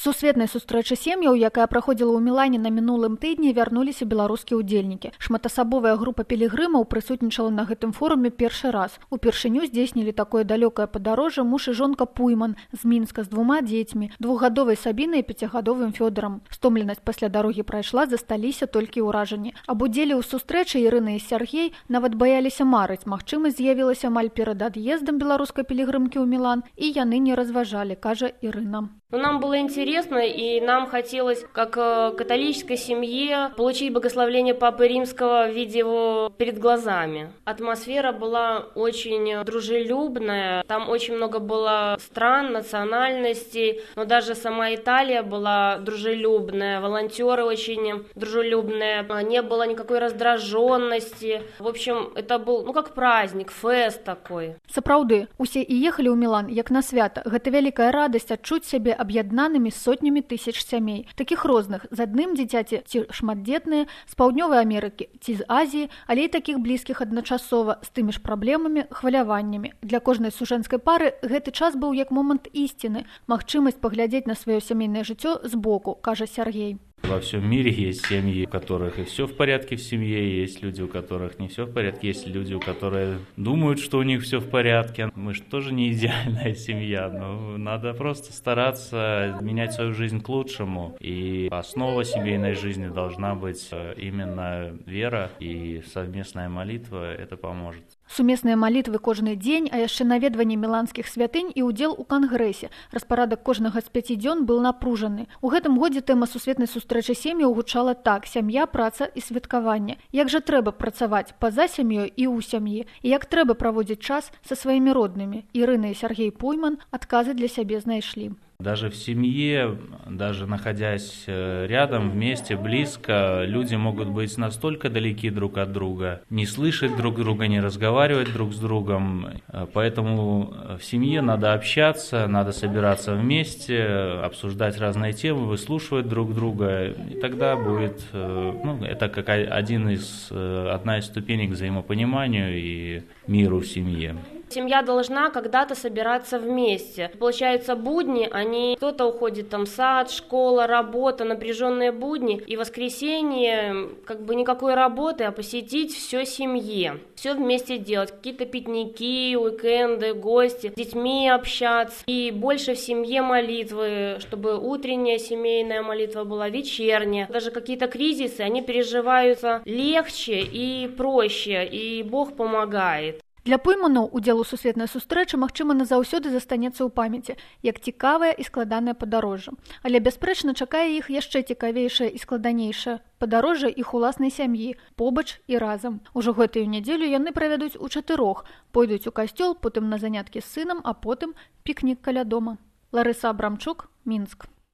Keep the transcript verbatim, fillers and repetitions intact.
Сусветнай сустрэчы сем'яў, якая праходзіла ў Мілане на мінулым тыдні, вярнуліся беларускія ўдзельнікі. Шматасабовая група пілігрымаў прысутнічала на гэтым форуме першы раз. Упершыню здзейснілі такое далёкае падарожжа муж і жонка Пуйман з Мінска з двума дзецьмі, двухгадовай Сабінай і пяцігадовым Фёдорам. Стомленасць пасля дарогі прайшла, засталіся толькі ўражанні. Аб удзеле ў сустрэчы Ірына і Сяргей нават баяліся марыць. Магчымасць з'явілася амаль перад ад'ездам беларускай пілігрымкі ў Мілан, і яны не разважалі, кажа Ірына. Но нам было интересно, и нам хотелось, как католической семье, получить благословение Папы Римского, видя его перед глазами. Атмосфера была очень дружелюбная, там очень много было стран, национальностей, но даже сама Италия была дружелюбная, волонтеры очень дружелюбные, не было никакой раздраженности. В общем, это был, ну, как праздник, фест такой. Сапраўды, усе і ехалі ў Мілан, як на свята. Гэта вялікая радасць адчуць сябе аб'яднанымі сотнямі тысяч сямей, такіх розных, з адным дзіцяці ці шматдзетныя, з Паўднёвай Амерыкі ці з Азіі, але і такіх блізкіх адначасова, з тымі ж праблемамі, хваляваннямі. Для кожнай сужэнскай пары гэты час быў як момант ісціны, магчымасць паглядзець на сваё сямейнае жыццё збоку, кажа Сяргей. Во всем мире есть семьи, у которых и все в порядке в семье, есть люди, у которых не все в порядке, есть люди, у которых думают, что у них все в порядке. Мы же тоже не идеальная семья, но надо просто стараться менять свою жизнь к лучшему. И основа семейной жизни должна быть именно вера, и совместная молитва это поможет. Сумесныя малітвы кожны дзень, а яшчэ наведванне міланскіх святынь і ўдзел у кангрэсе. Распарадак кожнага з пяці дзён быў напружаны. У гэтым годзе тэма сусветнай сустрэчы сем'яў гучала так: сям'я, праца і святкаванне. Як жа трэба працаваць па-за сям'ёй і ў сям'і, і як трэба праводзіць час са сваімі роднымі. Ірына і Сяргей Пуйман адказы для сябе знайшлі. Даже в семье, даже находясь рядом, вместе, близко, люди могут быть настолько далеки друг от друга, не слышать друг друга, не разговаривать друг с другом. Поэтому в семье надо общаться, надо собираться вместе, обсуждать разные темы, выслушивать друг друга. И тогда будет, ну, это как один из, одна из ступеней к взаимопониманию и миру в семье. Семья должна когда-то собираться вместе. Получается, будни, они, кто-то уходит там в сад, школа, работа, напряженные будни. И в воскресенье как бы никакой работы, а посетить все семье. Все вместе делать. Какие-то пикники, уикенды, гости, с детьми общаться. И больше в семье молитвы, чтобы утренняя семейная молитва была, вечерняя. Даже какие-то кризисы, они переживаются легче и проще, и Бог помогает. Для Пуйманаў удзел у сусветнай сустрэчы, магчыма, назаўсёды застанецца ў памяці, як цікавае і складанае падарожжа. Але, бясспрэчна, чакае іх яшчэ цікавейшае і складанейшае падарожжа іх уласнай сям'і, побач і разам. Ужо гэтую нядзелю яны правядуць у чатырох, пойдуць у касцёл, потым на заняткі з сынам, а потым пікнік каля дома. Ларыса Абрамчук, Мінск.